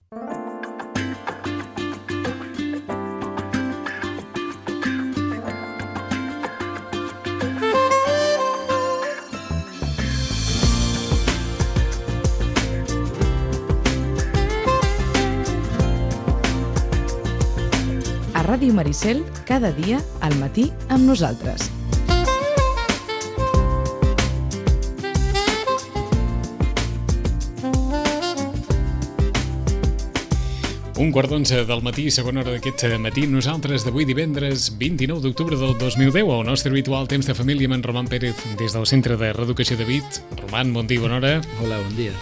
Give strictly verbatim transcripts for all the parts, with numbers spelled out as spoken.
Ràdio Maricel, cada dia al matí amb nosaltres. Un quart d'onze del matí, segona hora d'aquest matí. Nosaltres d'avui divendres vint-i-nou d'octubre del dos mil deu, al nostre habitual temps de família amb en Roman Pérez des del Centre de Reeducació de Vic. Roman, bon dia, bona hora. Hola, bon dia.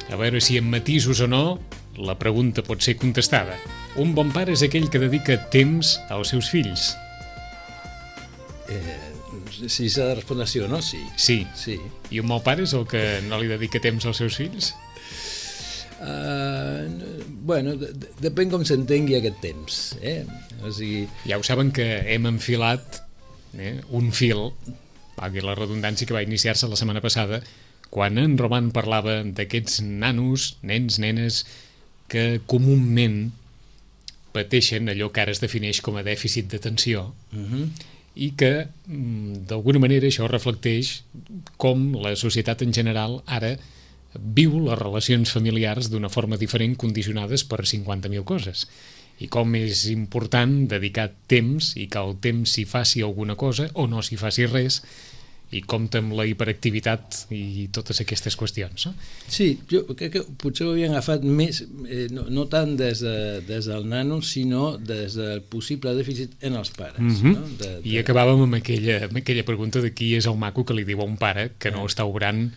A veure si amb matisos o no, la pregunta pot ser contestada. Un bon pare és aquell que dedica temps als seus fills. Eh, si s'ha de respondre sí o no, sí. Sí. sí. I un mal pare és el que no li dedica temps als seus fills? Uh, bueno, de, de, depèn com s'entengui aquest temps. Eh? O sigui... Ja ho saben que hem enfilat eh, un fil, valgui la redundància, que va iniciar-se la setmana passada, quan en Roman parlava d'aquests nanos, nens, nenes, que comúment pateixen allò que ara es defineix com a dèficit d'atenció uh-huh. i que, d'alguna manera, això reflecteix com la societat en general ara viu les relacions familiars d'una forma diferent, condicionades per cinquanta mil coses. I com és important dedicar temps i que el temps s'hi faci alguna cosa o no s'hi faci res, i compta amb la hiperactivitat i totes aquestes qüestions. No? Sí, jo crec que potser ho havien agafat més, eh, no, no tant des, de, des del nano, sinó des del possible dèficit en els pares. Mm-hmm. No? De, de... I acabàvem amb aquella, amb aquella pregunta de qui és el maco que li diu a un pare que no eh. està obrant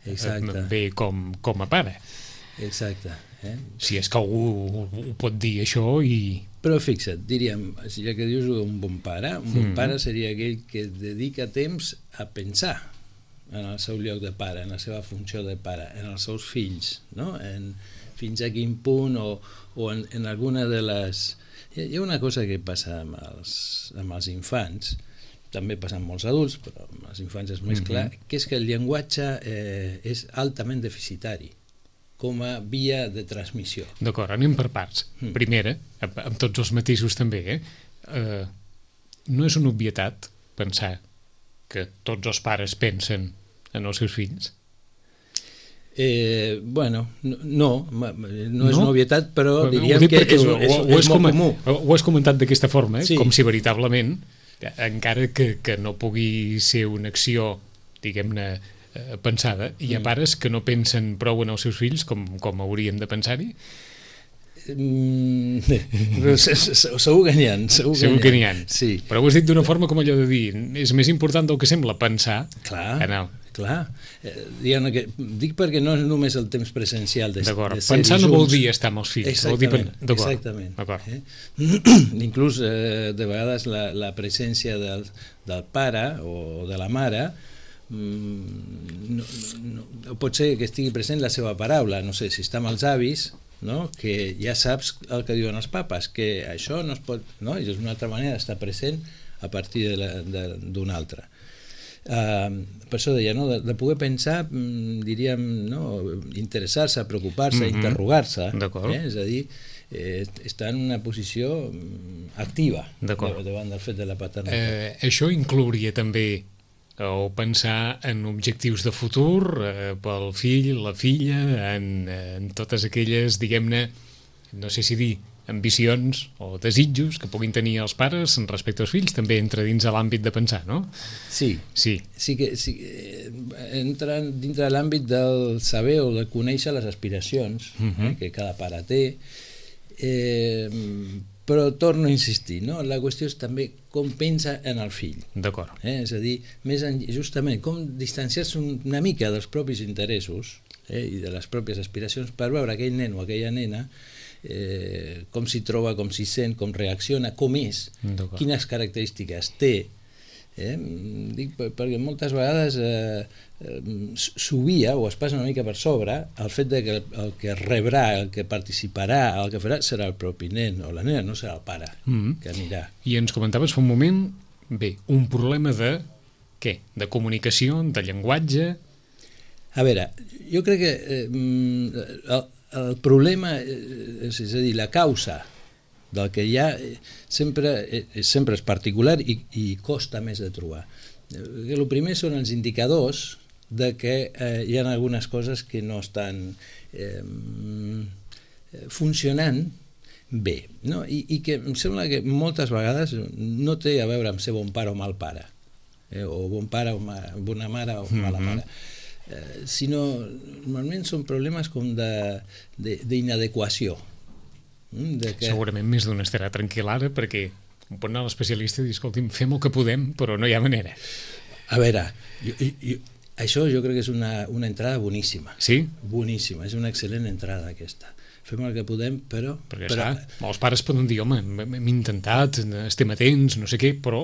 Exacte. bé com, com a pare. Exacte. Eh? Si és que algú ho pot dir això i... Però fixa't, diríem, ja que dius un bon pare, un bon mm. pare seria aquell que dedica temps a pensar en el seu lloc de pare, en la seva funció de pare, en els seus fills, no? En fins a quin punt o, o en, en alguna de les... Hi ha una cosa que passa amb els, amb els infants, també passa amb molts adults, però amb els infants és més mm-hmm. clar, que és que el llenguatge eh, és altament deficitari com a via de transmissió. D'acord, anem per parts. Mm. Primera, amb, amb tots els matisos també, eh? Eh, no és una obvietat pensar que tots els pares pensen en els seus fills? Eh, bueno, no, no, no és no? una obvietat, però diríem que és, és, és, ho, és molt comú. Ho has comentat d'aquesta forma, eh? Sí. Com si veritablement, encara que, que no pugui ser una acció, diguem-ne, pensada, hi ha pares que no pensen prou en els seus fills com, com haurien de pensar-hi? Mm, segur que n'hi ha, segur que segur que n'hi ha. Sí. Però ho has dit d'una forma com allò de dir, és més important del que sembla pensar. Clar, no. clar. Eh, que, dic perquè no és només el temps presencial de, d'acord, de ser pensar junts. no vol dir estar amb els fills. Exactament, vol dir... d'acord. exactament. D'acord. Eh? Inclús eh, de vegades la, la presència del, del pare o de la mare no, no, no, pot ser que estigui present la seva paraula, no sé, si està amb els avis, no? Que ja saps el que diuen els papes, que això no es pot, no? I és una altra manera d'estar present a partir d'una altra. Uh, per això deia, no? de, de poder pensar, diríem, no? Interessar-se, preocupar-se, mm-hmm. interrogar-se, eh? És a dir, eh, estar en una posició activa davant del fet de la paternitat. Eh, això inclouria també o pensar en objectius de futur eh, pel fill, la filla, en, en totes aquelles, diguem-ne, no sé si dir, ambicions o desitjos que puguin tenir els pares respecte als fills, també entra dins de l'àmbit de pensar, no? Sí, sí. sí que sí, entra dintre de l'àmbit del saber o de conèixer les aspiracions uh-huh. eh, que cada pare té, eh, però torno a insistir, no? La qüestió és també com pensa en el fill. D'acord. Eh? És a dir, més en, justament com distanciar-se una mica dels propis interessos eh? i de les pròpies aspiracions per veure aquell nen o aquella nena eh, com s'hi troba, com s'hi sent, com reacciona, com és, quines característiques té. Eh? Dic perquè moltes vegades eh, s'obvia o es passa una mica per sobre el fet de que el que rebrà, el que participarà, el que farà serà el propi nen o la nena, no serà el pare mm-hmm. que anirà. I ens comentaves fa un moment, bé, un problema de què? De comunicació, de llenguatge? A veure, jo crec que eh, el, el problema, és, és a dir, la causa del que hi ha sempre, sempre és particular i, i costa més de trobar. El primer són els indicadors de que eh, hi ha algunes coses que no estan eh, funcionant bé, no? I, i que em sembla que moltes vegades no té a veure amb ser bon pare o mal pare, eh? o bon pare o ma, bona mare o mala mare, eh, sinó normalment són problemes com d'inadequació. De que... Segurament més d'un estarà tranquil ara perquè pot anar a l'especialista i dir, escolti'm, fem el que podem, però no hi ha manera. A veure, jo, jo, això jo crec que és una, una entrada boníssima. Sí? Boníssima, és una excel·lent entrada aquesta. Fem el que podem, però... Perquè, però... clar, molts pares poden dir, home, hem intentat, estem atents, no sé què, però...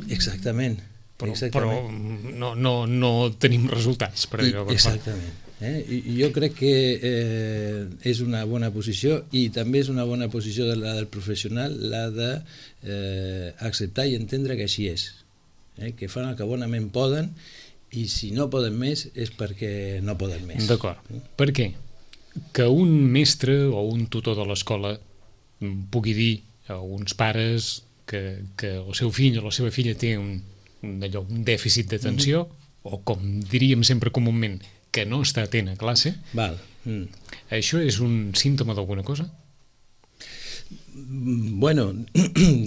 Exactament. Però, exactament. però no, no, no tenim resultats. Per I, exactament. Eh? I jo crec que eh, és una bona posició i també és una bona posició de la del professional la de eh, acceptar i entendre que així és, eh? Que fan el que bonament poden i si no poden més és perquè no poden més. D'acord. Per què? Que un mestre o un tutor de l'escola pugui dir a uns pares que, que el seu fill o la seva filla té un, un, allò, un dèficit d'atenció mm-hmm. o com diríem sempre comúment que no està atent a classe. Val. Mm. Això és un símptoma d'alguna cosa? Bueno,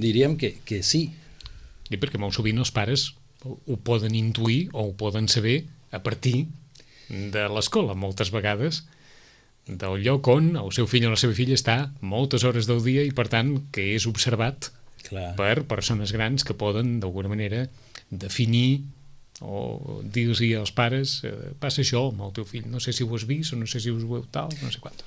diríem que, que sí. I perquè molt sovint els pares ho poden intuir o ho poden saber a partir de l'escola, moltes vegades, del lloc on el seu fill o la seva filla està moltes hores del dia i, per tant, que és observat Clar. Per persones grans que poden, d'alguna manera, definir o dir-los als pares eh, passa això amb el teu fill, no sé si ho has vist o no sé si us ho veu tal, no sé quantos.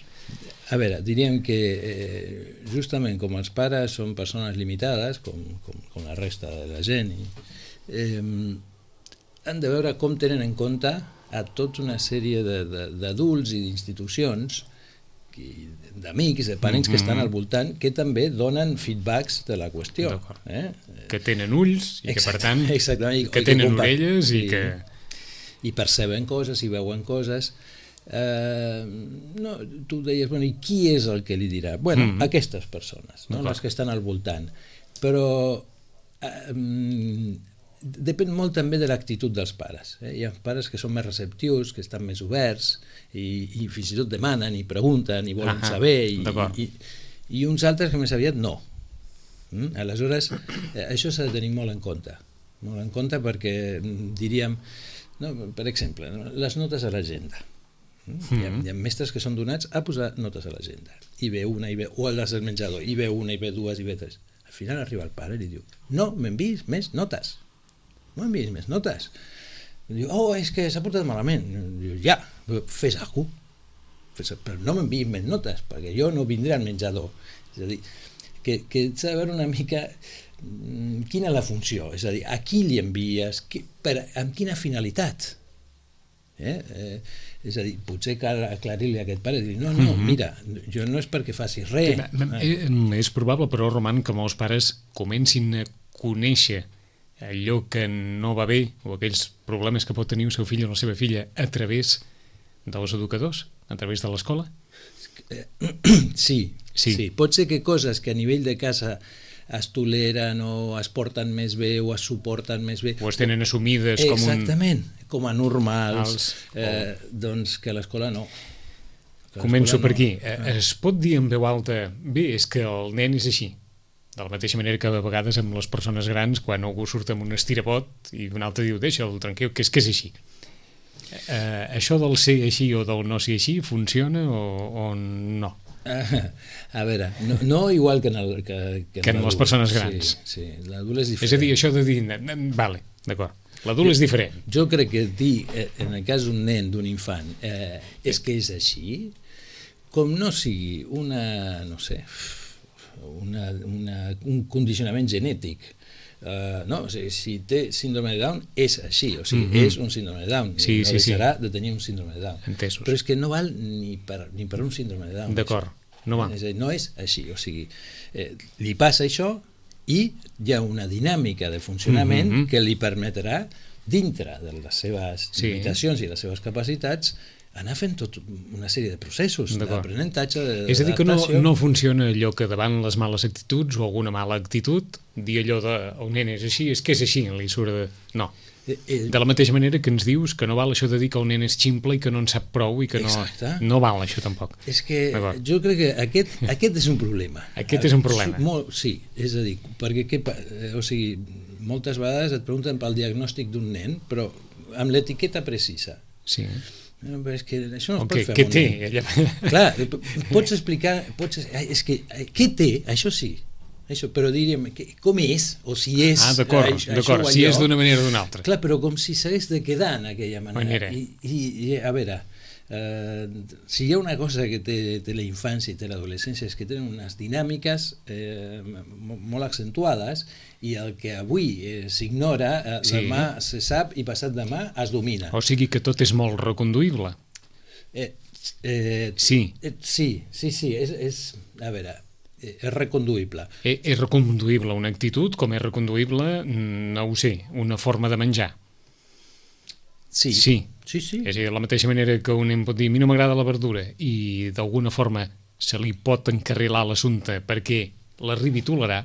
A veure, diríem que eh, justament com els pares són persones limitades, com, com, com la resta de la gent, i, eh, han de veure com tenen en compte a tota una sèrie d'adults i d'institucions, d'amics, de parents mm-hmm. que estan al voltant, que també donen feedbacks de la qüestió. Eh? Que tenen ulls i que, per tant, exactament, que tenen que orelles i, i que... I perceben coses i veuen coses. Eh, no, tu deies, bueno, i qui és el que li dirà? Bueno, mm-hmm. aquestes persones, no? Les que estan al voltant. Però eh, depèn molt també de l'actitud dels pares. Eh? Hi ha pares que són més receptius, que estan més oberts i, i fins i tot demanen i pregunten i volen ah, saber i, i, i uns altres que més aviat no. Mm? Aleshores, eh, això s'ha de tenir molt en compte. Molt en compte perquè diríem, no, per exemple, les notes a l'agenda. Mm? Mm-hmm. Hi, ha, hi ha mestres que són donats a posar notes a l'agenda. I ve una, i ve, o a les del menjador, i ve una, i ve dues, i ve tres. Al final arriba el pare i li diu, no, m'enviïs més notes. No enviïs més notes. Diu, oh, és que s'ha portat malament. Diu, ja, fes alguna cosa. Però no m'enviïs més notes, perquè jo no vindré al menjador. És a dir, que, que s'ha de veure una mica quina és la funció, és a dir, a qui li envies, qui, per, amb quina finalitat. Eh? Eh, és a dir, potser cal aclarir-li a aquest pare i dir, no, no, mira, jo no és perquè facis res. Eh, és probable, però, Roman, que molts pares comencin a conèixer allò que no va bé o aquells problemes que pot tenir el seu fill o la seva filla a través dels educadors, a través de l'escola? Sí, sí, sí. Pot ser que coses que a nivell de casa es toleren o es porten més bé o es suporten més bé o es tenen assumides com un... Exactament, com a normals, Els... eh, doncs que a l'escola no. Que Començo per aquí. No. Es pot dir en veu alta, bé, és que el nen és així. De la mateixa manera que a vegades amb les persones grans, quan algú surt amb un estirabot i un altre diu, deixa'l tranquil, que és que és així. Eh, això del ser així o del no ser així funciona o, o no? Ah, a veure, no, no igual que en, el, que, que en, que en les persones grans. Sí, sí, l'adult és diferent. És a dir, això de dir, vale, d'acord, l'adult és diferent. Jo crec que dir, en el cas d'un nen, d'un infant, eh, és que és així, com no sigui una, no sé... Una, una, un condicionament genètic. Uh, no, o sigui, si té síndrome de Down és així, o sigui, mm-hmm. és un síndrome de Down, sí, no sí, deixarà sí. de tenir un síndrome de Down. Entesos. Però és que no val ni per, ni per un síndrome de Down. D'acord, no va. És a dir, no és així, o sigui, eh, li passa això i hi ha una dinàmica de funcionament mm-hmm. que li permetrà, dintre de les seves sí. limitacions i les seves capacitats, anar fent tot una sèrie de processos d'aprenentatge, és a dir, que no, no funciona allò que davant les males actituds o alguna mala actitud, dir allò de el nen és així, és que és així, li surt de... No. De la mateixa manera que ens dius que no val això de dir que el nen és ximple i que no en sap prou i que no, no val això tampoc. És que jo crec que aquest, aquest és un problema. Aquest és un problema. Molt, sí, és a dir, perquè què, o sigui, moltes vegades et pregunten pel diagnòstic d'un nen, però amb l'etiqueta precisa. Sí. Però és que això no es okay, pot fer amb un nen. Què té? Clar, pots explicar, pots, és que, què té? Això sí. Això, però diríem, que, com és, o si és... Ah, d'acord, d'acord, si és d'una manera o d'una altra. Clar, però com si s'hagués de quedar en aquella manera. manera. I, i, I, a veure, eh, si hi ha una cosa que té, té la infància i té l'adolescència és que tenen unes dinàmiques eh, molt accentuades i el que avui eh, s'ignora, eh, sí. demà se sap i passat demà es domina. O sigui que tot és molt reconduïble. Eh, eh, sí. Eh, sí, sí, sí, és, és a veure... és reconduïble. És reconduïble una actitud com és reconduïble, no ho sé, una forma de menjar. Sí. Sí. Sí, sí. És a dir, de la mateixa manera que un nen pot dir a mi no m'agrada la verdura i d'alguna forma se li pot encarrilar l'assumpte perquè l'arribi a tolerar.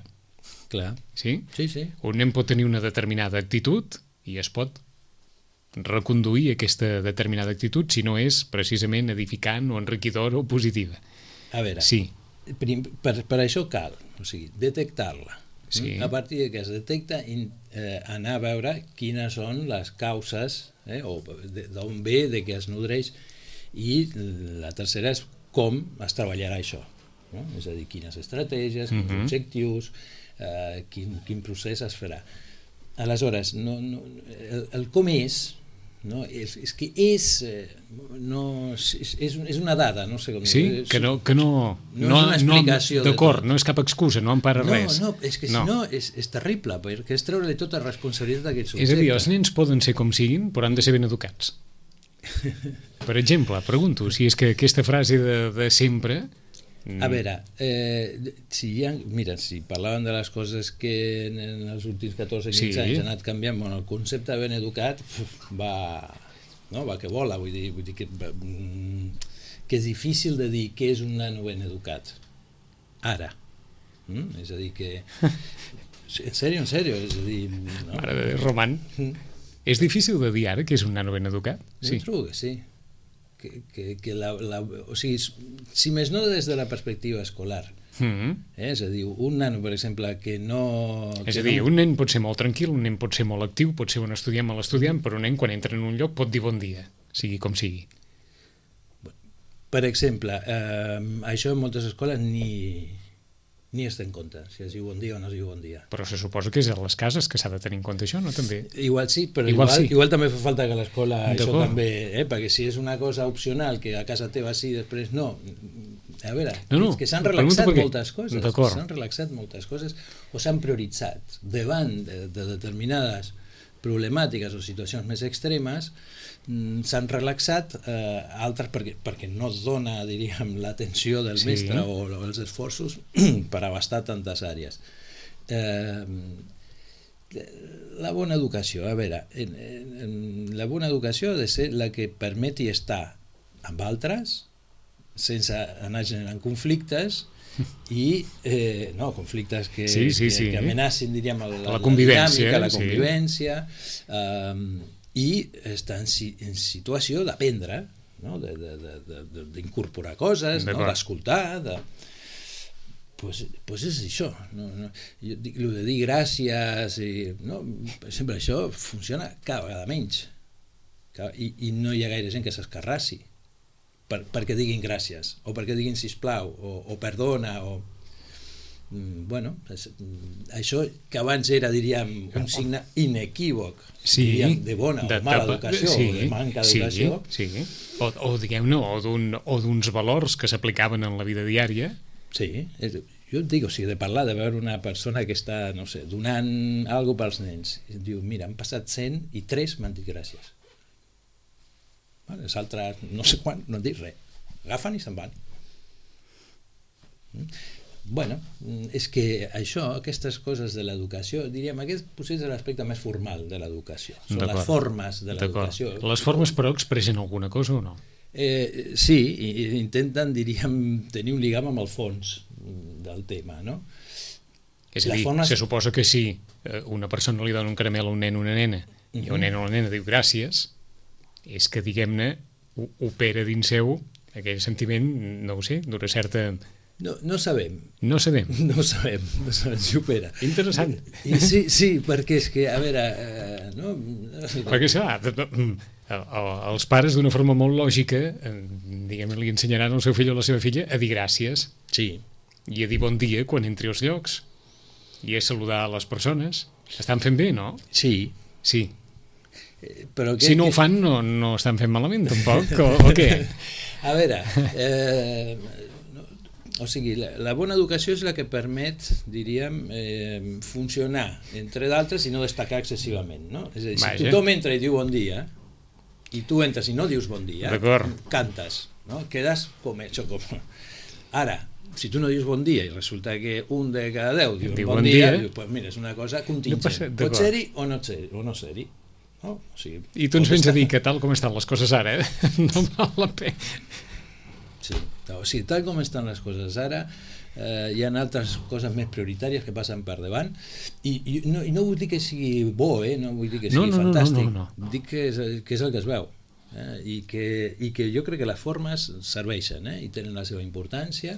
Clar. Sí? Sí, sí. Un nen pot tenir una determinada actitud i es pot reconduir aquesta determinada actitud si no és precisament edificant o enriquidora o positiva. A veure, sí. Per, per això cal, o sigui, detectar-la. Sí. A partir de que es detecta, in, eh, anar a veure quines són les causes, eh, o d'on ve, de què es nodreix, i la tercera és com es treballarà això. No? És a dir, quines estratègies, quins uh-huh. objectius, eh, quin, quin procés es farà. Aleshores, no, no, el, el com és, no, és, és que és, no, és, és una dada, no sé com sí, dir. que no, que no, no, no és una explicació. No, d'acord, no és cap excusa, no empara no, res. No, és que no. Si no és, és terrible, perquè és treure-li tota responsabilitat d'aquest subjecte. És a dir, els nens poden ser com siguin, però han de ser ben educats. Per exemple, pregunto, si és que aquesta frase de, de sempre... A veure, eh, si hi ha, mira, si parlàvem de les coses que en, en els últims catorze quinze sí. anys han anat canviant, bueno, el concepte de ben educat va, no, va que vola, vull dir, vull dir que, que és difícil de dir què és un nano ben educat ara, mm? És a dir que en sèrio, en sèrio, és a dir no? Mare de Déu, Roman, mm. és difícil de dir ara que és un nano ben educat? Sí. Jo trobo que sí. Que, que, que la, la, o sigui, si més no des de la perspectiva escolar, mm-hmm. eh? És a dir, un nano, per exemple, que no... És que a dir, no... un nen pot ser molt tranquil, un nen pot ser molt actiu, pot ser un estudiant mal estudiant, però un nen quan entra en un lloc pot dir bon dia, sigui com sigui. Per exemple, eh, això en moltes escoles ni, ni es té en compte, si es diu bon dia o no es diu bon dia. Però se suposa que és a les cases que s'ha de tenir en compte això, no? També. Igual sí, però igual, igual, sí. igual també fa falta que a l'escola això també, eh? Perquè si és una cosa opcional, que a casa teva sí, després no... A veure, no, no, és que s'han relaxat perquè... moltes coses, s'han relaxat moltes coses o s'han prioritzat davant de, de determinades problemàtiques o situacions més extremes, s'han relaxat, eh, altres perquè, perquè no es dona, diríem, l'atenció del sí. mestre o, o els esforços per abastar tantes àrees. Eh, la bona educació, a veure, en, en, la bona educació ha de ser la que permeti estar amb altres sense anar generant conflictes i, eh, no, conflictes que, sí, sí, que, sí. que amenacin, diríem, la, la, la convivència, dinàmica, la convivència, sí. eh, i està en, en situació d'aprendre, no? d'incorporar coses, no? d'escoltar, de... pues, pues és això. No? No? Jo dic, el de dir gràcies, i, no? per exemple, això funciona cada vegada menys. I, i no hi ha gaire gent que s'escarrassi per, perquè diguin gràcies, o perquè diguin sisplau, o, o perdona, o... Bueno, això que abans era, diríem, un signe inequívoc, sí, diríem, de bona o de mala tapa, educació, sí, o de manca d'educació. Sí, sí. O, o diguem-ne, o d'uns valors que s'aplicaven en la vida diària. Sí, és, jo et dic, o sigui, de parlar, de veure una persona que està, no sé, donant alguna cosa pels nens, i diu, mira, han passat cent i tres m'han dit gràcies. Vale, les altres, no sé quan, no han dit res. Agafen i se'n van. Bueno, és que això, aquestes coses de l'educació, diríem, aquest potser és l'aspecte més formal de l'educació, són les formes de l'educació. Les formes, però, expressen alguna cosa o no? Eh, sí, intenten, diríem, tenir un lligam amb el fons del tema, no? És a dir, forma... se suposa que si una persona li dona un caramel a un nen o una nena uh-huh. i un nen o una nena diu gràcies, és que, diguem-ne, opera dins seu aquell sentiment, no ho sé, d'una certa... No, no sabem. No sabem. No sabem, no sabem si opera. Interessant. I sí, sí, perquè és que, a veure... Eh, no? Perquè, clar, els pares d'una forma molt lògica, diguem, li ensenyaran al seu fill o a la seva filla a dir gràcies. Sí. I a dir bon dia quan entri als llocs. I a saludar a les persones. Estan fent bé, no? Sí. Sí. Però que, si no que... ho fan, no, no estan fent malament, tampoc, o, o què? A veure... Eh... O sigui, la, la bona educació és la que permet, diríem, eh, funcionar, entre d'altres, i no destacar excessivament, no? És a dir, si Vaja. tothom entra i diu bon dia, i tu entres i no dius bon dia, cantes, no? Quedes com hecho. Com... Ara, si tu no dius bon dia i resulta que un de cada deu diu, diu bon, bon dia, dia diu, pues mira, és una cosa contingent. No passa, pot ser-hi o no ser-hi. O no ser-hi. No? O sigui, I tu ens vens estar... a dir que tal com estan les coses ara, eh? no val la pena. Sí, o sigui, tal com estan les coses ara, eh, hi ha altres coses més prioritàries que passen per davant, i, i, no, i no vull dir que sigui bo, eh? No vull dir que sigui no, no, fantàstic, no, no, no. dic que és, que és el que es veu, eh? I, que, i que jo crec que les formes serveixen, eh? I tenen la seva importància.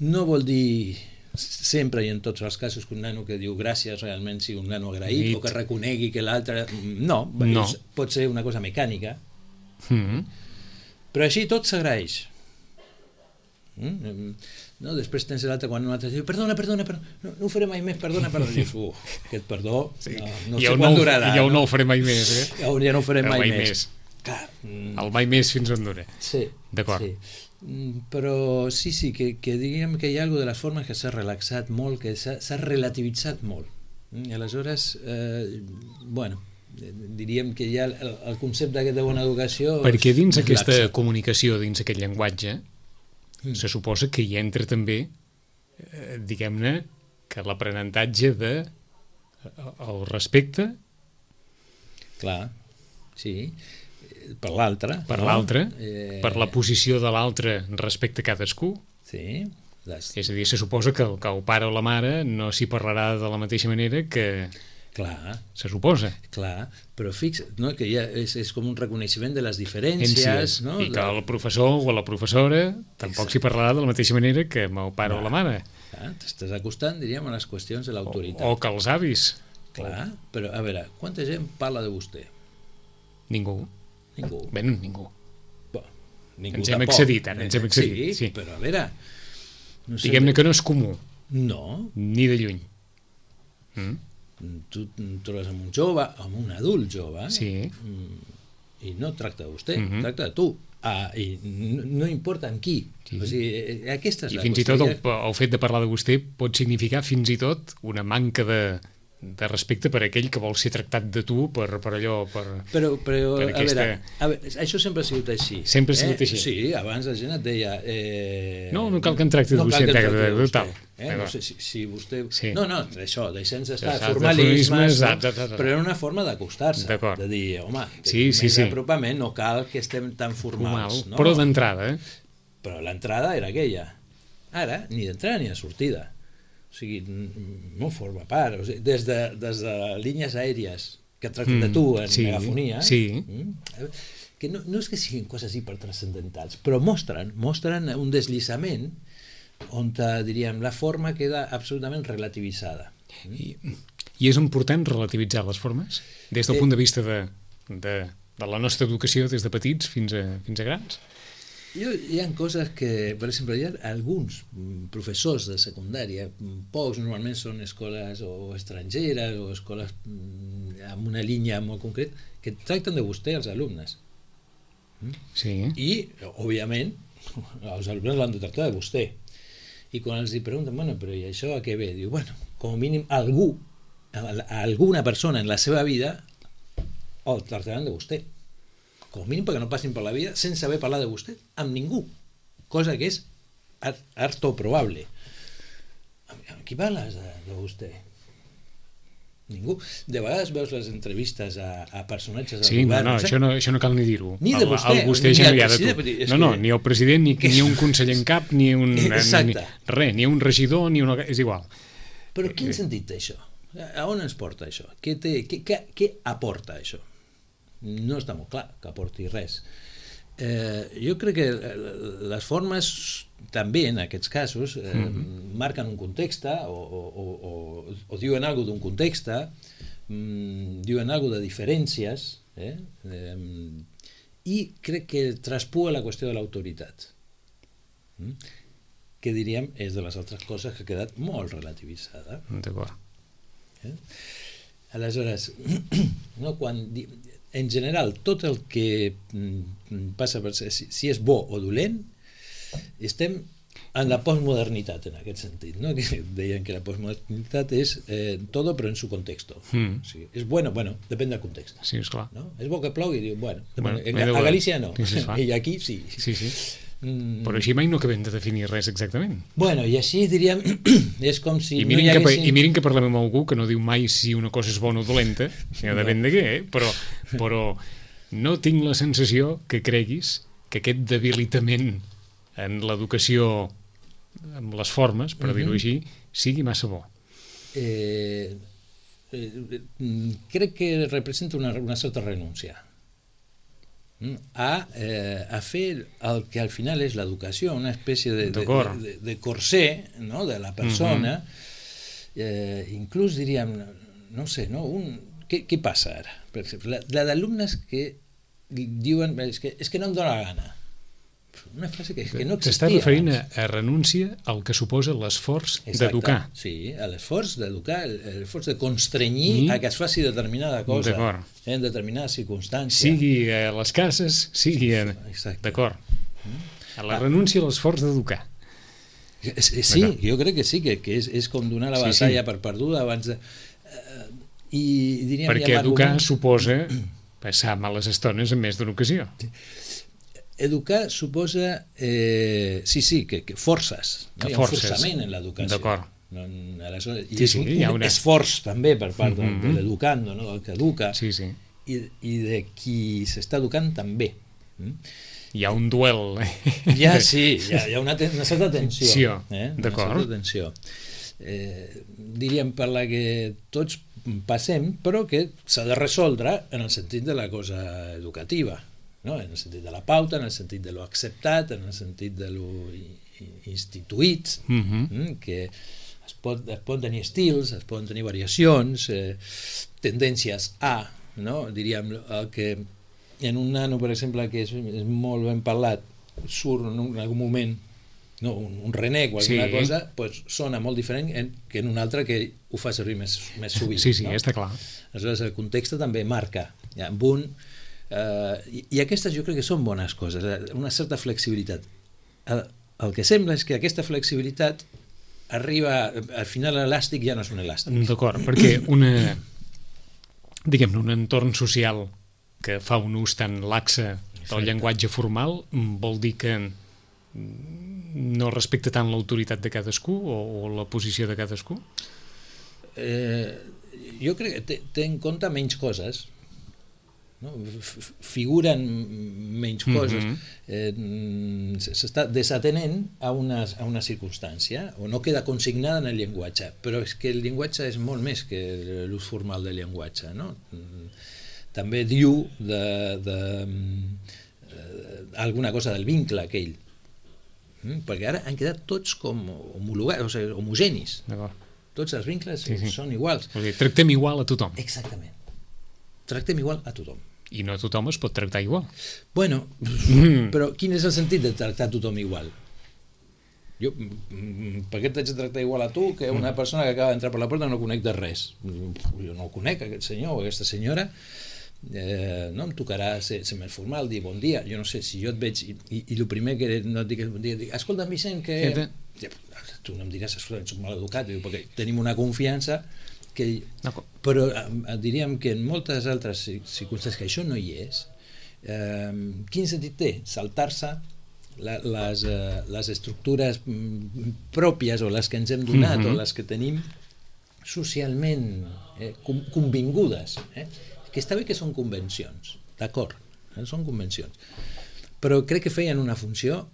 No vol dir sempre i en tots els casos que un nano que diu gràcies realment sigui un nano agraït, It. o que reconegui que l'altre... No, no. Pot ser una cosa mecànica, mm-hmm. però així tot s'agraeix. Mm? No, després tens l'altre quan un altre diu perdona, perdona, perdona, no, no ho faré mai més, perdona, perdona, i dius, uh, aquest perdó sí. no, no sé quan no, durarà, ja no? no ho faré mai més, eh? ja, ja no ho faré mai, mai més, més. Clar, mm, el mai més fins on dura, sí, d'acord, sí. Mm, però sí, sí, que, que diguem que hi ha alguna de les formes que s'ha relaxat molt, que s'ha relativitzat molt, mm? I aleshores eh, bueno, diríem que ja el, el concepte aquest de bona educació perquè dins aquesta laxa. Comunicació, dins aquest llenguatge mm. se suposa que hi entra també eh, diguem-ne que l'aprenentatge de el respecte, clar, sí, per l'altre, per no? l'altre, eh... per la posició de l'altre respecte a cadascú, sí, les... és a dir, se suposa que el, que el pare o la mare no s'hi parlarà de la mateixa manera que clar, se suposa. Clar, però fix, no, que ja és, és com un reconeixement de les diferències, no? I que el professor o la professora tampoc s'hi parlarà de la mateixa manera que amb el pare clar, o la mare. Clar, t'estàs acostant, diríem, a les qüestions de l'autoritat. O, o que els avis. Clar, però a veure, quanta gent parla de vostè? Ningú. Ningú. Bé, no, ningú. Bo, ningú ens hem tampoc. excedit, ara, ens hem excedit. Sí, sí. Però a veure... No diguem-ne que no és comú. No. Ni de lluny. Mm? Tu trobes amb un jove, amb un adult jove, sí. i no tracta de vostè, mm-hmm. tracta de tu. Ah, i no, no importa amb qui. Sí. O sigui, aquesta és I la fins qüestió. I tot el, el fet de parlar de vostè pot significar fins i tot una manca de, de respecte per aquell que vol ser tractat de tu per, per allò, per, però, però, per a aquesta... veure, a veure, això sempre ha sigut així. Sempre ha sigut eh? així. Sí, abans la gent et deia... Eh... No, no cal que en tracti de no vostè. No cal que en tracti de vostè. Eh? No sé si, si vostè... Sí. No, no, això, deixem d'estar de formalismes, no? no? Però era una forma d'acostar-se, de dir, home, sí, sí, més sí. apropament, no cal que estem tan formals. Formal, no? Però d'entrada, eh? Però l'entrada era aquella. Ara, ni d'entrada ni de sortida. O sigui, no forma part. O sigui, des, de, des de línies aèries que et tracten mm, de tu en sí, megafonia, sí. mm, que no, no és que siguin coses hipertranscendentals, però mostren, mostren un deslizament on, diríem, la forma queda absolutament relativitzada. I, i és important relativitzar les formes? Des del eh, punt de vista de, de, de la nostra educació des de petits fins a, fins a grans? Jo, hi ha coses que, per exemple, hi ha alguns professors de secundària, pocs normalment són escoles o estrangeres o escoles amb una línia molt concret, que tracten de vostè els alumnes. Sí. I, òbviament, els alumnes l'han de tractar de vostè. I quan els pregunten, bueno, però i això a què ve? Diu, bueno, com a mínim algú, alguna persona en la seva vida el tractaran de vostè. Com a mínim perquè no passin per la vida sense haver parlat de vostè amb ningú, cosa que és harto probable. Amb qui parles de, de vostè? Ningú. De vegades veus les entrevistes a, a personatges del sí, govern. No, no, no sé? això, no, això no cal ni dir-ho. Ni de vostè. El, el vostè ni ja no del hi ha de tu. president, No, no, que... ni el president, ni, ni un conseller en cap, ni un... Exacte. Ni, res, ni un regidor, ni una... És igual. Però quin sentit té això? A on ens porta això? Què, té, què, què, què aporta això? No està molt clar que aporti res. Eh, jo crec que les formes també en aquests casos eh, mm-hmm. marquen un context o, o, o, o, o diuen alguna cosa d'un context, mm, diuen alguna cosa de diferències eh? Eh, i crec que traspua la qüestió de l'autoritat, mm? que diríem és de les altres coses que ha quedat molt relativitzada. D'acord. Eh? Aleshores, no, quan di... en general, tot el que passa per ser, si, si és bo o dolent, estem en la postmodernitat, en aquest sentit, no? Que deien que la postmodernitat és eh, todo, però en su contexto. Mm. O sigui, és bueno, bueno, depèn del context. Sí, esclar. No? És bo que plogui, diu, bueno, bueno a, a Galícia no, sí, sí, i aquí sí. Sí, sí. Mm. Però així mai no acabem de definir res exactament. Bueno, i així diríem, és com si I mirin, no hi haguessin... haguessin... I mirin que parlem amb algú que no diu mai si una cosa és bona o dolenta, ja no. Depèn de què, eh? però, però no tinc la sensació que creguis que aquest debilitament en l'educació, amb les formes, per uh-huh. dir-ho així, sigui massa bo. Eh, eh, crec que representa una, una certa renúncia a, eh, a fer el que al final és l'educació, una espècie de, de, de, de corsé, no?, de la persona. Uh-huh. eh, inclús diríem, no sé, no? Un, què, què passa ara? Per exemple, la, la d'alumnes que diuen és que, és que no em dóna la gana. Una frase que, que no existia. T'estàs referint a, a renúncia al que suposa l'esforç d'educar. Sí, a l'esforç d'educar, l'esforç de constrenyir I... a que es faci determinada cosa en determinades circumstàncies. Sigui a les cases, sigui a... D'acord. A la renúncia a l'esforç d'educar. Sí, jo crec que sí, que, que és, és com donar la batalla sí, sí. per perduda abans de... Uh, i diríem, perquè educar argument... suposa passar males estones en més d'una ocasió. Educar suposa, eh, sí, sí, que, que forces, no? Que Hi ha un forces. forçament en l'educació. D'acord. No, aleshores, i sí, és un, sí, un una... esforç també per part mm-hmm. de, de l'educando, no? Del que educa, sí, sí. I, i de qui s'està educant també. Mm? Hi ha un duel. Ja, sí, hi ha, hi ha una, ten, una certa tensió. Sí, eh? d'acord. Una certa tensió. Eh, diríem per la que tots passem, però que s'ha de resoldre en el sentit de la cosa educativa. No? En el sentit de la pauta, en el sentit de lo acceptat, en el sentit de lo instituït, mm-hmm. que es pot, es poden tenir estils, es poden tenir variacions, eh, tendències a, no? Diríem, el que en un nano, per exemple, que és, és molt ben parlat, surt en, un, en algun moment no, un, un renec o alguna sí. cosa, pues, sona molt diferent en, que en un altre que ho fa servir més, més sovint. Sí, sí, no? està clar. Aleshores, el context també marca. Ja, amb un Uh, i, i aquestes jo crec que són bones coses, una certa flexibilitat. El, el que sembla és que aquesta flexibilitat arriba, al final l'elàstic ja no és un elàstic. D'acord, perquè una, diguem-ne, un entorn social que fa un ús tan laxe del llenguatge formal vol dir que no respecta tant l'autoritat de cadascú o, o la posició de cadascú? Eh, jo crec que té, té en compte menys coses, no? Figuren menys coses, mm-hmm. eh, s'està desatenent a una, a una circumstància o no queda consignada en el llenguatge, però és que el llenguatge és molt més que l'ús formal del llenguatge, no? També diu de, de, de alguna cosa del vincle aquell, perquè ara han quedat tots com homologats, o sigui, homogenis. Tots els vincles sí, sí. són iguals. O sigui, tractem igual a tothom. Exactament. Tractem igual a tothom. I no tothom es pot tractar igual. Bueno, mm. però quin és el sentit de tractar tothom igual? Jo, per què t'haig de tractar igual a tu que una mm. persona que acaba d'entrar per la porta no conec de res? Jo no el conec, aquest senyor o aquesta senyora, eh, no em tocarà ser, ser més formal, dir bon dia. Jo no sé, si jo et veig i, i, i el primer que no et digues bon dia, dic, escolta, Vicent, que... Ja, tu no em diràs, escolta, ets mal educat, perquè tenim una confiança que, però diríem que en moltes altres circumstàncies que això no hi és, eh, quin sentit té saltar-se la, les, eh, les estructures pròpies o les que ens hem donat mm-hmm. o les que tenim socialment eh, convingudes. Eh? Que està bé que són convencions, d'acord, eh? Són convencions. Però crec que feien una funció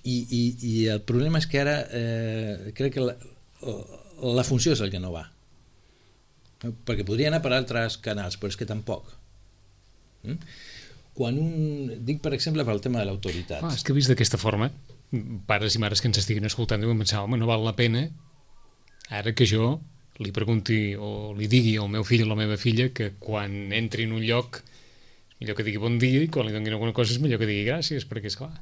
i, i, i el problema és que ara eh, crec que la, la funció és el que no va. Perquè podria anar per altres canals, però és que tampoc. Mm? Quan un... Dic, per exemple, pel tema de l'autoritat. Ah, és que vist d'aquesta forma, pares i mares que ens estiguin escoltant deuen pensar, home, no val la pena ara que jo li pregunti o li digui al meu fill o a la meva filla que quan entri en un lloc millor que digui bon dia i quan li donin alguna cosa és millor que digui gràcies, perquè és clar.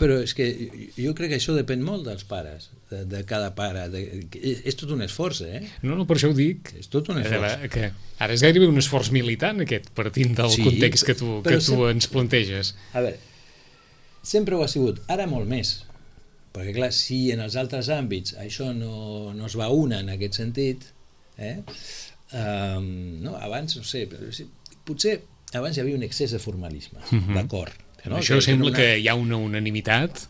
Però és que jo crec que això depèn molt dels pares, de, de cada pare. De, és, és tot un esforç, eh? No, no, per això ho dic. És tot un esforç. Que ara és gairebé un esforç militant, aquest, partint del sí, context que tu, que tu sempre, ens planteges. A veure, sempre ho ha sigut, ara molt més. Perquè, clar, si en els altres àmbits això no, no es va una en aquest sentit, eh? Um, no, abans, no sé, potser abans hi havia un excés de formalisme, uh-huh. D'acord. No? Això que sembla una... que hi ha una unanimitat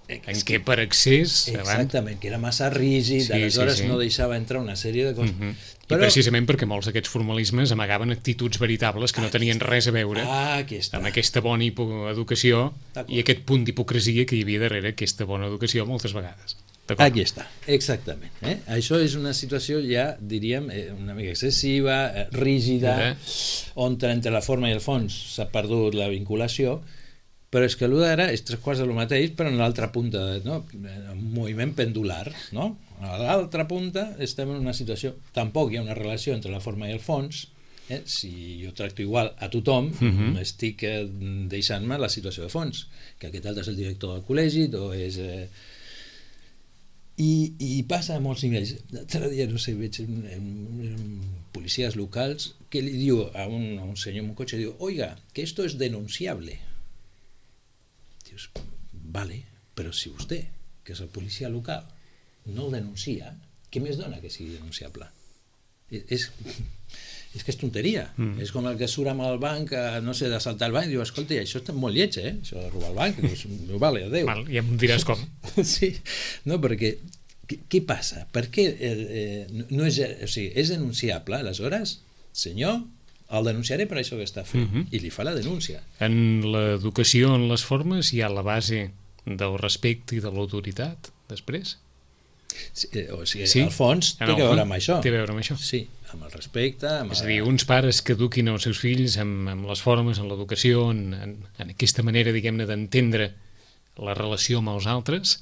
en què per excés... Exactament, abans... que era massa rígid, sí, aleshores sí, sí. No deixava entrar una sèrie de coses. Uh-huh. Però... I precisament perquè molts d'aquests formalismes amagaven actituds veritables que no tenien res a veure ah, amb aquesta bona educació i aquest punt d'hipocresia que hi havia darrere aquesta bona educació moltes vegades. Aquí està, exactament. Eh? Això és una situació ja, diríem, una mica excessiva, rígida, eh? On entre la forma i el fons s'ha perdut la vinculació, però és que l'u d'ara és tres quarts de lo mateix, però en l'altra punta, no? Un moviment pendular, no? A l'altra punta estem en una situació, tampoc hi ha una relació entre la forma i el fons, eh? Si jo tracto igual a tothom, uh-huh. Estic eh, deixant-me la situació de fons, que aquest altre és el director del col·legi, o és... Eh, I, i passa a molts nivells. L'altre dia, no sé, veig un, un, un, policies locals que li diu a un, a un senyor en un cotxe, diu, oiga, que esto es denunciable. Dius, vale, però si vostè, que és el policia local, no el denuncia, què més dona que sigui denunciable? És, és que és tonteria. Mm. És com el que surt amb el banc, no sé, d'assaltar el banc, i diu, escolta, això està molt lleig, eh? Això de robar el banc, dius, vale, adéu. Val, ja em diràs com. Sí, no, perquè què passa? Per què eh, no és, o sigui, és denunciable, aleshores, senyor, el denunciaré per això que està fent, mm-hmm. I li fa la denúncia. En l'educació, en les formes, hi ha la base del respecte i de l'autoritat, després? Sí, o sigui, sí? Al fons té a veure amb això. Té a veure amb això. Sí, amb el respecte... Amb és a dir, uns pares que eduquin els seus fills amb, amb les formes, en l'educació, en, en, en aquesta manera, diguem-ne, d'entendre la relació amb els altres,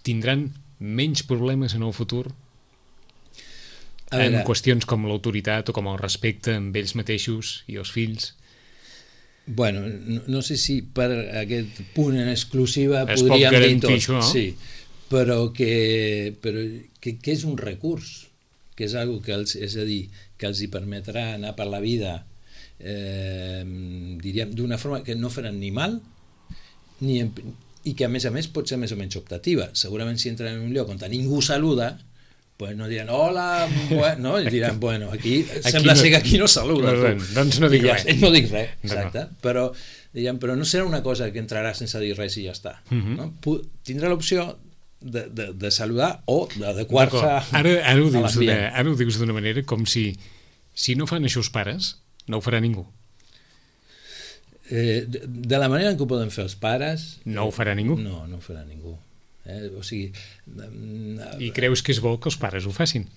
tindran menys problemes en el futur en qüestions com l'autoritat o com el respecte amb ells mateixos i els fills. Bueno, no, no sé si per aquest punt en exclusiva es podríem dir tot. Això, no? Sí, però que, però que, que és un recurs, que és algo que els, és a dir, que els hi permetrà anar per la vida eh, diríem, d'una forma que no faran ni mal ni en, i que a més a més pot ser més o menys optativa. Segurament si entren en un lloc on ningú saluda, pues no diran hola, bueno, no, i diran, bueno, aquí, aquí sembla no, ser que aquí no saluda. No, doncs no dic res. No dic res, exacte, no, no. Però, diguem, però no serà una cosa que entrarà sense dir res i ja està. Uh-huh. No? Tindrà l'opció de, de, de saludar o d'adequar-se ara, ara, ho dius d'una, ara ho dius d'una manera com si si no fan això els pares, no ho farà ningú. Eh, de, de la manera en què ho poden fer els pares... No ho farà ningú? No, no ho farà ningú. Eh, o sigui... I creus que és bo que els pares ho facin?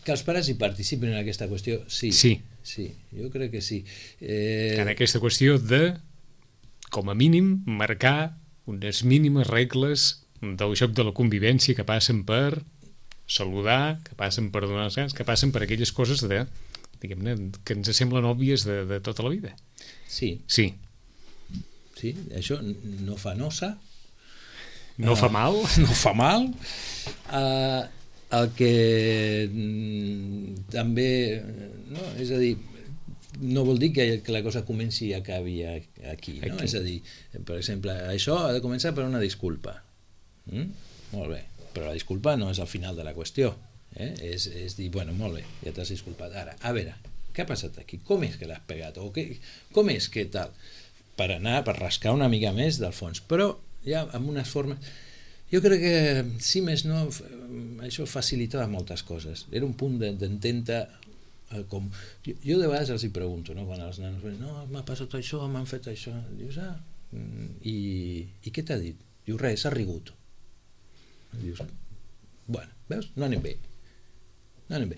Que els pares hi participin en aquesta qüestió, sí. Sí. Sí, jo crec que sí. Eh... En aquesta qüestió de, com a mínim, marcar unes mínimes regles del joc de la convivència que passen per saludar, que passen per donar els grans, que passen per aquelles coses de, diguem-ne, que ens semblen òbvies de, de tota la vida. Sí. Sí. Sí, això no fa nosa. No uh, fa mal. No fa mal. Uh, el que mm, també... No, és a dir, no vol dir que, que la cosa comenci i acabi aquí, no? Aquí. És a dir, per exemple, això ha de començar per una disculpa. Mm? Molt bé, però la disculpa no és al final de la qüestió, eh? és, és dir, bueno, molt bé, ja t'has disculpat, ara, a veure, què ha passat aquí? Com és que l'has pegat? O què, com és que tal? Per anar, per rascar una mica més del fons, però ja amb unes formes... Jo crec que, si més no, això facilitava moltes coses. Era un punt d'entendre eh, com... Jo, jo de vegades els hi pregunto, no? Quan els nanos diuen, no, m'ha passat això, m'han fet això. Dius, ah, i, i què t'ha dit? Diu, res, s'ha rigut. Dius, bueno, veus? No anem bé. No anem bé.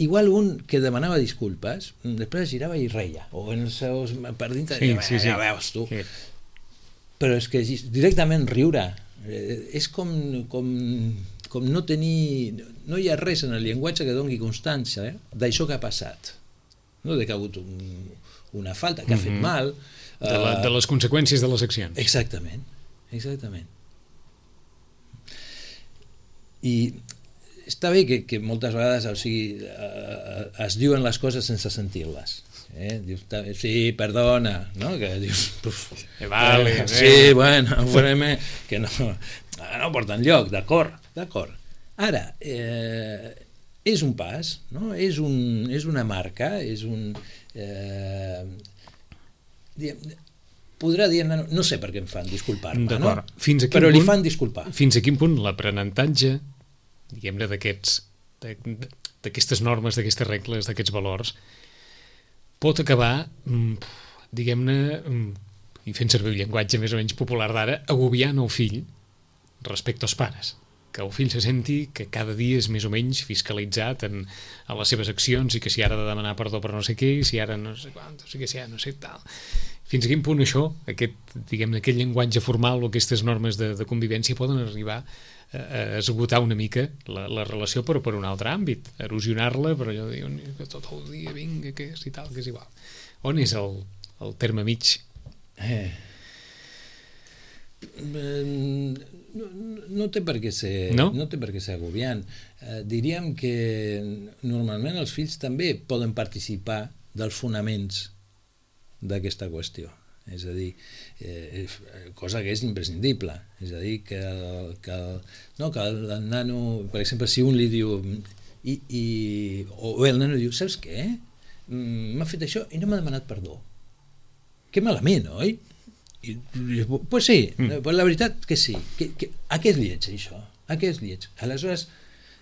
Igual un que demanava disculpes, després girava i reia, o en els seus... per dintre, sí, ja, sí, sí. ja veus tu. Sí. Però és que directament riure eh, és com, com, com no tenir... No hi ha res en el llenguatge que doni constància eh, d'això que ha passat. No de que ha hagut un, una falta, que ha fet Mm-hmm. mal. De, la, de les conseqüències de les accions. Exactament, exactament. I està bé que, que moltes vegades o sigui, eh, es diuen les coses sense sentir-les. Eh? Dius, sí, perdona, no? Que dius, uf, eh, vale, eh, eh. sí, bueno, farem, que no, no porta enlloc, d'acord, d'acord. Ara, eh, és un pas, no? És, un, és una marca, és un... Eh, diguem, podrà dir, no, no sé per què em fan disculpar-me, no? Fins a quin però punt, li fan disculpar. Fins a quin punt l'aprenentatge, diguem-ne, d'aquests, d'aquestes normes, d'aquestes regles, d'aquests valors, pot acabar, diguem-ne, i fent servir el llenguatge més o menys popular d'ara, agobiant el fill respecte als pares. Que el fill se senti que cada dia és més o menys fiscalitzat en, en les seves accions i que si ara ha de demanar perdó per no sé què, i si ara no sé quant, o sigui, si ara no sé tal... Fins a quin punt això, aquest, diguem-ne, aquest llenguatge formal o aquestes normes de, de convivència poden arribar a, a esgotar una mica la, la relació però per un altre àmbit, erosionar-la, però allò de dir que tot el dia vinga, que és i tal, que és igual. On és el, el terme mig? Eh. No, no té per què ser, no? no té per què ser agobiant. Eh, diríem que normalment els fills també poden participar dels fonaments d'aquesta qüestió, és a dir, eh, cosa que és imprescindible, és a dir, que el, que el, no, que el, el nano, per exemple, si un li diu i, i, o bé el nano diu, saps què? M'ha fet això i no m'ha demanat perdó. Que malament, oi? I, pues sí, mm. pues la veritat que sí. Que, que, a què és lleig, això? A què és lleig? Aleshores,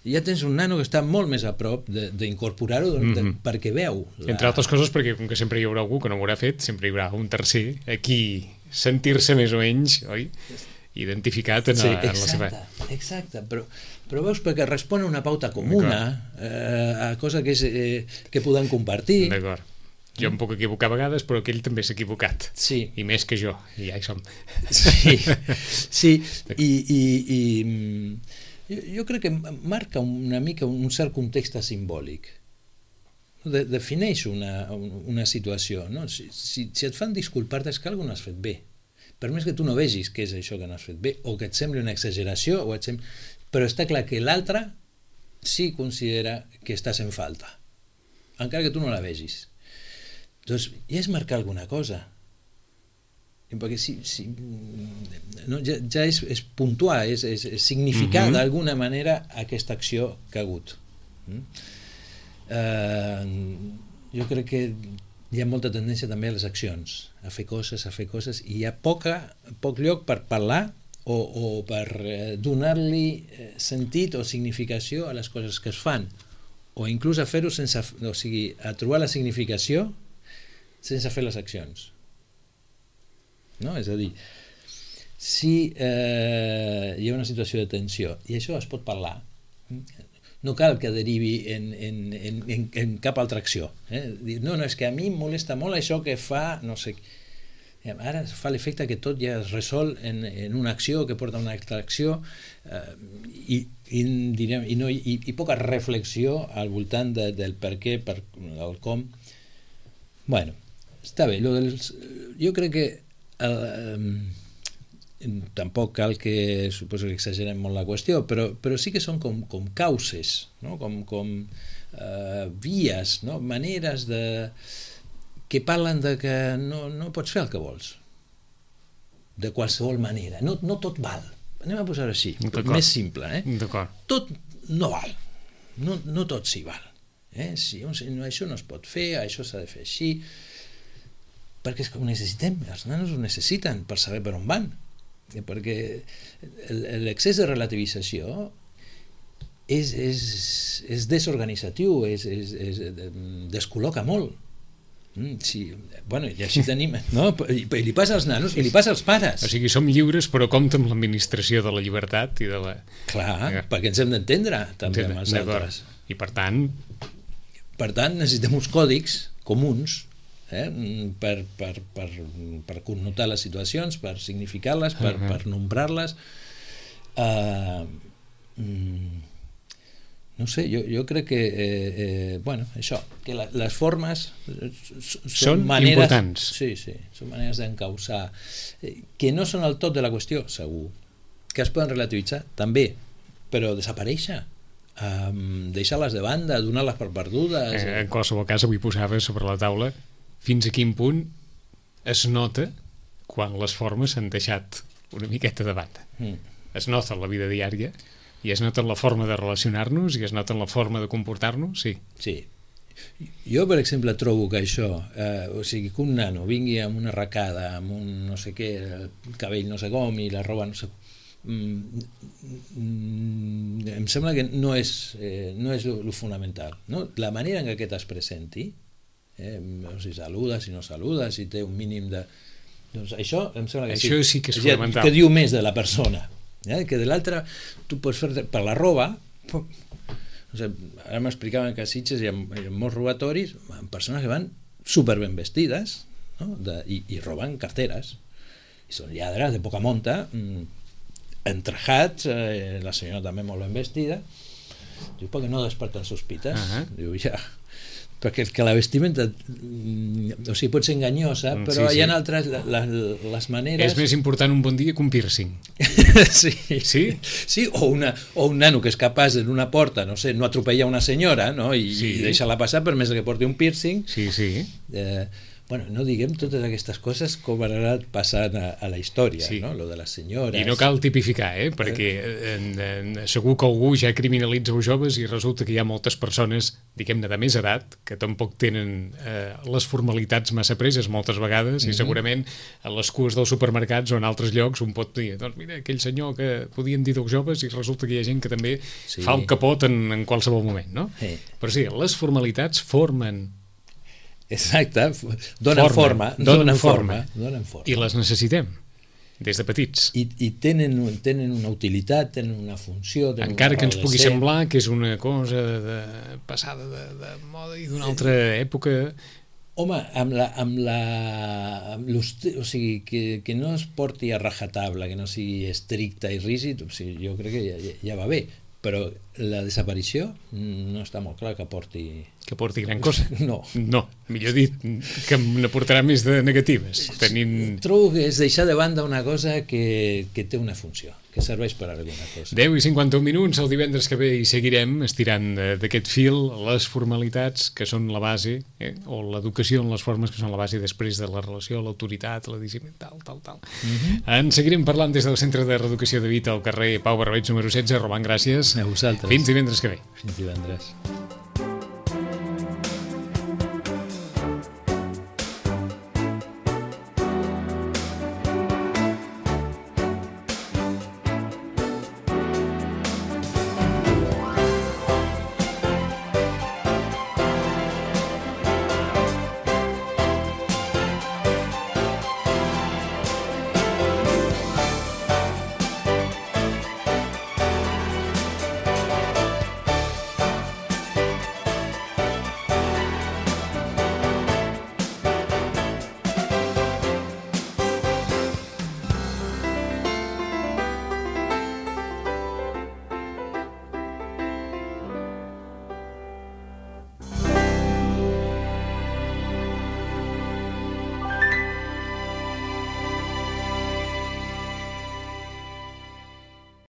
ja tens un nano que està molt més a prop d'incorporar-ho mm-hmm. perquè veu. La... Entre altres coses perquè com que sempre hi haurà algú que no ho haurà fet, sempre hi haurà un tercer a qui sentir-se més o menys, oi? Identificat en, sí, a, en exacte, la seva... Exacte, però, però veus perquè respon a una pauta comuna, eh, a cosa que, és, eh, que podem compartir. D'acord. Jo em puc equivocar a vegades, però aquell també s'ha equivocat. Sí. I més que jo, i ja hi som. Sí, sí. I... i, i jo crec que marca una mica un cert context simbòlic. De, defineix una, una situació. No? Si, si, si et fan disculpar-te és que alguna has fet bé. Per més que tu no vegis què és això que no has fet bé, o que et sembli una exageració, o et sembli... però està clar que l'altre sí considera que estàs en falta, encara que tu no la vegis. Doncs ja és marcar alguna cosa. Perquè si, si, no, ja, ja és, és puntuar, és, és, és significar mm-hmm. d'alguna manera aquesta acció que ha hagut. Mm? Uh, jo crec que hi ha molta tendència també a les accions, a fer coses, a fer coses, i hi ha poca, poc lloc per parlar o, o per eh, donar-li sentit o significació a les coses que es fan, o inclús a fer-ho sense, o sigui, a trobar la significació sense fer les accions. No? És a dir, si eh, hi ha una situació de tensió i això es pot parlar, no cal que derivi en, en, en, en, en cap altra acció. Eh? Dir, no, no, és que a mi em molesta molt això que fa, no sé, ara fa l'efecte que tot ja es resol en, en una acció que porta a una altra acció eh, i, i, direm, i, no, i, i poca reflexió al voltant de, del per què, per, el com. Bueno, està bé, lo dels, jo crec que Uh, um, tampoc cal que suposo que exagerem molt la qüestió, però, però sí que són com, com causes, no? com, com uh, vies, no? Maneres de, que parlen de que no, no pots fer el que vols de qualsevol manera, no, no tot val, anem a posar-ho així, més simple, eh? Tot no val, no, no tot s'hi val, eh? Si un, això no es pot fer, això s'ha de fer així, perquè és que ho necessitem, els nanos ho necessiten per saber per on van, perquè l'excés de relativització és, és, és desorganitzatiu, és, és, és, descol·loca molt. Mm, sí, bueno, i així tenim, no? I, i li passa als nanos i li passa als pares. O sigui, som lliures però compta amb l'administració de la llibertat i de la... Clar, ja. perquè ens hem d'entendre també amb els altres. I per tant... Per tant, necessitem uns còdics comuns eh? per, per, per, per connotar les situacions, per significar-les, per, uh -huh. per nombrar-les. Uh, mm, no sé, jo, jo crec que eh, eh, bueno, això, que la, les formes són, són maneres, importants. Sí, sí, són maneres d'encausar eh, que no són el tot de la qüestió, segur, que es poden relativitzar també, però desaparèixer, um, deixar-les de banda, donar-les per perdudes. Eh, en qualsevol cas, avui posava sobre la taula fins a quin punt es nota quan les formes s'han deixat una miqueta de banda. Mm. Es nota en la vida diària i es nota en la forma de relacionar-nos i es nota en la forma de comportar-nos, sí. Sí. Jo, per exemple, trobo que això, eh, o sigui, que un nano vingui amb una arracada, amb un no sé què, el cabell no sé com i la roba no sé... Mm, mm, em sembla que no és, eh, no és lo, lo fonamental, no? La manera en què aquest es presenti, eh, si saluda, si no saluda, si té un mínim de... Doncs això em sembla que això sí, sí que és ja, fonamental. que diu més de la persona. Eh? Que de l'altra tu pots fer per la roba, o sigui, ara m'explicaven que a Sitges hi ha, hi ha molts robatoris amb persones que van super ben vestides, no? de, i, i roben carteres i són lladres de poca monta, mmm, entrejats, eh, la senyora també molt ben vestida, diu, perquè no desperten sospites? Uh -huh. Diu, ja, perquè que la vestimenta o sigui, pot ser enganyosa, però sí, hi ha sí. altres, les, les maneres... És més important un bon dia que un piercing. sí. Sí? Sí, o, una, o un nano que és capaç en una porta, no sé, no atropellar una senyora, no? I, sí. i deixar-la passar per més que porti un piercing. Sí, sí. Eh, bueno, no diguem totes aquestes coses com han anat passant a, a la història, sí. no? Lo de les senyores... I no cal tipificar, eh? Perquè en, en, segur que algú ja criminalitza els joves i resulta que hi ha moltes persones, diguem-ne, de més edat, que tampoc tenen eh, les formalitats massa preses moltes vegades, mm-hmm. i segurament a les cues dels supermercats o en altres llocs un pot dir, doncs mira, aquell senyor que podien dir dels joves i resulta que hi ha gent que també sí. fa el capot en, en qualsevol moment, no? Sí. Però sí, les formalitats formen... Exacte, donen forma, donen forma, donen forma. I les necessitem, des de petits. I, i tenen, tenen una utilitat, tenen una funció... Tenen encara una que ens pugui semblar que és una cosa de, passada de, de moda i d'una altra època... Home, amb la... Amb la amb o sigui, que, que no es porti a rajatabla, que no sigui estricta i rígid, o sigui, jo crec que ja, ja va bé, però la desaparició no està molt clar que porti... Que porti gran cosa. No. No, millor dit, que n'aportarà més de negatives. Tenim... Trobo que és deixar de banda una cosa que, que té una funció, que serveix per a alguna cosa. deu i cinquanta-un minuts, el divendres que ve hi seguirem estirant d'aquest fil les formalitats que són la base, eh? o l'educació en les formes que són la base després de la relació, l'autoritat, la disciplina, tal, tal, tal. Uh-huh. En seguirem parlant des del Centre de Reeducació de Vita al carrer Pau Barbeig número setze. Roman, gràcies. A vosaltres. Fins divendres que ve. Fins divendres.